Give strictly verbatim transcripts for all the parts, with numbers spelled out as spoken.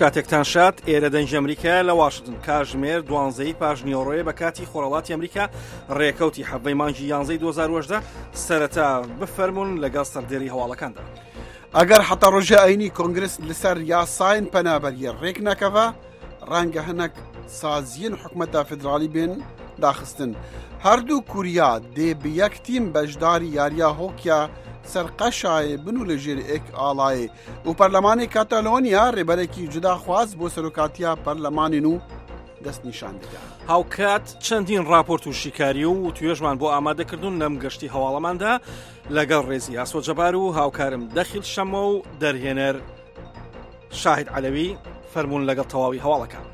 کاتێکتان شاد، ئێرە دەنگی ئەمریکایە لە واشنتن. کاتژمێر دوانزەی پاش نیوەڕۆیە بە کاتی خۆرهەڵاتی ئەمریکا، ڕێکەوتی حەڤدەی مانگی یانزەی دوو هەزار و هەژدە. سەرەتا بفەرمونون لەگەڵ سەردێری هەواڵەکاندا. ئەگەر حتا ڕۆژە ئەینی کۆنگرس لەسەر یاساین پەنابەریە ڕێک نەکەوە، ڕەنگە هەنەک سازیین حکومەتە فیدراڵی بێن داخستن. هەردوو کوریا دێ بە یەک تیم بەشداری یاریە هۆکیا سەرقەشایێ بن و لە ژێر ئێک ئاڵایێ و پەرلەمانی کاتالۆنیا ڕێبەرێکی جوداخواز بۆ سەرۆکاتیا پەرلەمانین و دەستنیشان دەکات. هاوکات چەندین راپۆرت و شیکاری و توێژمان بۆ ئامادەکردون لەم گەشتی هەواڵەماندا لەگەڵ ڕێزی ئاسۆ جەبار و هاوکارم دەخیل شەمە و دەرهێنەر شاهید عەلەوی. فەرمونون لەگەڵ تەواوی هەواڵەکان.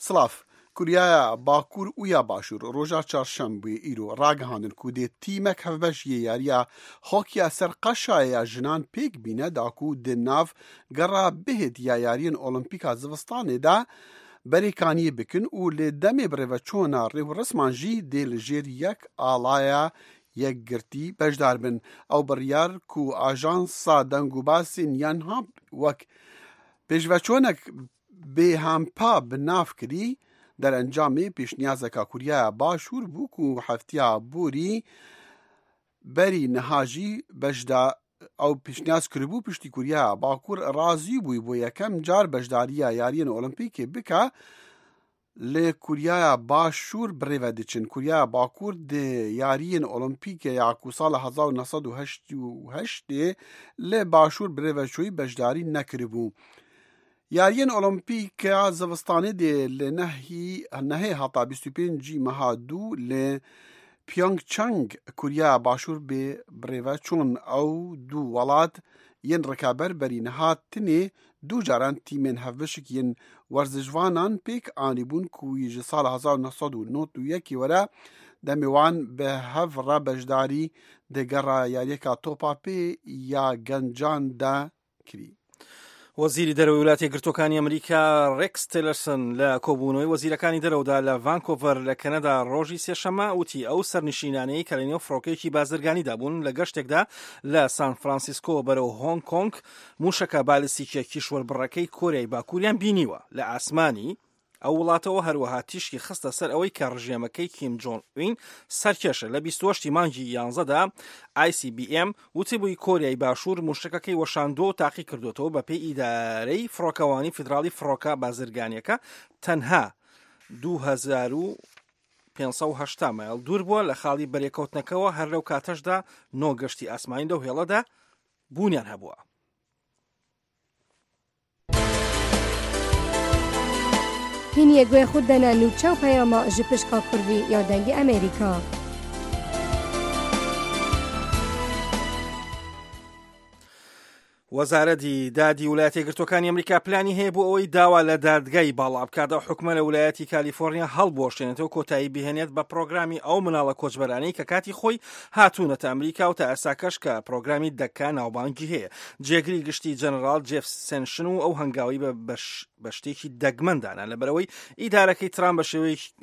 سلاف کوریایا باکوور و یا باشوور ڕۆژا چارشەمبوێ ئیرۆ ڕاگەهاندن کو دێ تیمەک هەڤبەش یê یاریە هۆکیا سەر قەشایە ژنان پێک بینە داکو di nav gera bihêt ya yariyên Olimpîka zivistanê de berêkaniyê bikin û lê demê birêveçûna rêwresman jî dê li jêr yek alaya yekgirtî beşdar bin. Ew biryar ku ajansa dengûbasên Yonhap wek pêşveçûnek bêhempa bi nav kirî, derencamê pêşniyazeka Kuryaya Başûr bû ku heftiya borî berî niha jî beşda ew pêşniyaz kiribû piştî Kuryaya Bakur razî bû bo yekem car beşdariya yariyên Olimpîkê bike li Kuryaya Başûr birêve diçin. Kuryaya Bakur di yariyên Olimpîkê ya ku sala hezar û neh sed û heşt û heştê li Başûr birêve çûyî beşdarî nekiribû. Yariyên Olimpîka zivistanê dê li nehî nehê heta bîst û pêncî meha du li Pyeongchang Kuryaya Başûr bê birêve çûn. Ew du welat yên rikaber berî niha tenê du caran tîmên hevbişik yên werzişvanan pêk anîbûn ku wî ji sala hezar û neh sed û nod û yekê were demê wan bi hev re beşdarî di gera yariyeka topa pê ya gencan de kirî. وەزیری دەرەوەی وڵاتی یەکگرتووەکانی ئەمریکا ڕێکس تیلەرسن لە کۆبوونەوەی وەزیرەکانی دەرەوەدا لە ڤانکۆڤەر لە کەنەدا ڕۆژی سێشەممە وتی ئەو سەرنشینانەی کە لەنێو فڕۆکەیەکی بازرگانیدا بوون لە گەشتێکدا لە سان فرانسیسکۆ بەرەو هۆنگ کۆنگ موشەکە بالیستیکیە کیشوەربڕەکەی کۆریای باکووریان بینیوە لە ئاسمانی ئەو وڵاتەوە. هەروەها تیشکی خستە سەر ئەوەی کە ڕژێمەکەی کیم جۆنگ ئوین سەرکێشە. لە بیست و هەشت مانگی یانزەدا I C B M وتبووی کۆریای باشوور موشەکەکەی وەشاندووە و تاقی کردوێتەوە. بە پێی ئیدارەی فڕۆکەوانی فیدراڵی فڕۆکە بازرگانیەکە تەنها دوو هەزار و پێنج سەد و هەشتا مایل دوور بووە لە خاڵی بەرێکەوتنەکەوە. هەر لەو کاتەشدا نۆ گەشتی ئاسمانی لەو هێڵەدا بوونیان هەبووە. هین گوێ خود دەنە نوچە و پەیاما ji pişka Kurdî ya Dengê Amerîka. وەزارەتی دادی وڵاتی یەکگرتووەکانی ئەمریکا پلانی هەیە بۆ ئەوەی داوا لە دادگای باڵا بکات ئەو حکومە لە ویلایەتی کالیفۆرنیا هەڵبوەشێنێتەوە، کۆتایی بهێنێت بە پرۆگرامی ئەو مناڵە کۆچبەرانەی کە کاتی خۆی هاتوونەتە ئەمریکا و تا ئێستاکەش کە پرۆگرامی دەکا ناوبانگی هەیە. جێگری گشتی جەنەراڵ جێف سێشن و ئەو هەنگاوی بە بە شتێکی دەگمەندانە لەبەرەوەی ئیدارەکەی ترامپ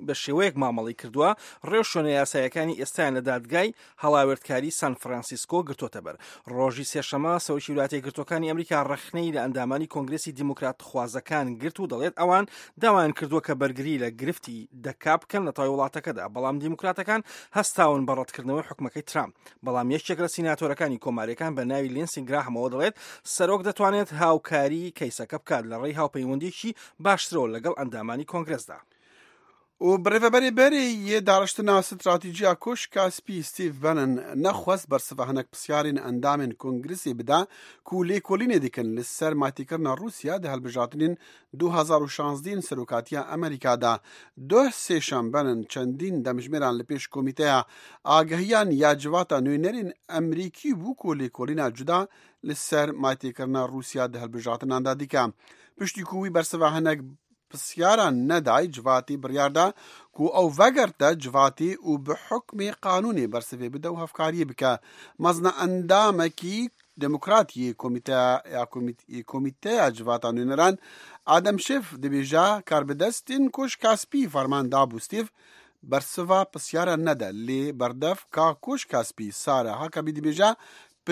بە شێوەیەک مامەڵی کردووە ڕێوشوێنە یاسایەکانی ئێستایان لە دادگای هەڵاوێردکاری سان فرانسیسکۆ گرتوتە بەر. ڕۆژی سێشەمە سەرۆکی وڵاتی یەکگرتووەکانی ئەمریکا ڕەخنەی لە ئەندامانی کۆنگرسی دیموکرات خوازەکان گرت و دەڵێت ئەوان داوایان کردووە کە بەرگری لە گرفتی دەکا بکەن لە تای وڵاتەکەدا، بەڵام دیموکراتەکان هەستاون بە ڕەتکردنەوەی حکومەکەی ترامپ. بەڵام یەکێک لە سیناتۆرەکانی کۆماریەکان بە ناوی لینسی گراهمەوە دەڵێت سەرۆک دەتوانێت هاوکاری کەیسەکە بکات لە ڕێی هاوپەیوەندیکی باشترەوە لەگەڵ ئەندامانی کۆنگرسدا. و برێڤەبەرێ بەرێ یê داڕشتنا ستراتیجیا کۆشکا سپی ستیڤ بەنن نەخواست بەرسڤا هەنەک پرسیارên ئەندامên کۆنگرسê bide ku lêkolînê dikin li ser maytêkirina Rûsya di hilbijartinên du hezar û şazdeh serokatiya Amerîka da. Duh sêşem Bannon çendîn demjimêran li pêş komîteya agehiyan ya civata nûnerên Amerîkî bû ku lêkolîna cuda li ser maytêkirina Rûsya di hilbijartinan da dike. Piştî ku wî bersiva hinek پرسیاران نەدای، civatê biryar da ku ew vegerte civatê û bi hukmê qanûnê bersivê bide û hevkariyê bike. Mezna endamekî Demokrat yê komîteya civata nûneran Adam Schiff dibêje karbidestên Koşka Spî ferman dabû Steve bersiva pirsiyaran nede, lê berdevka Koşka Spî Sara Huckabee dibêje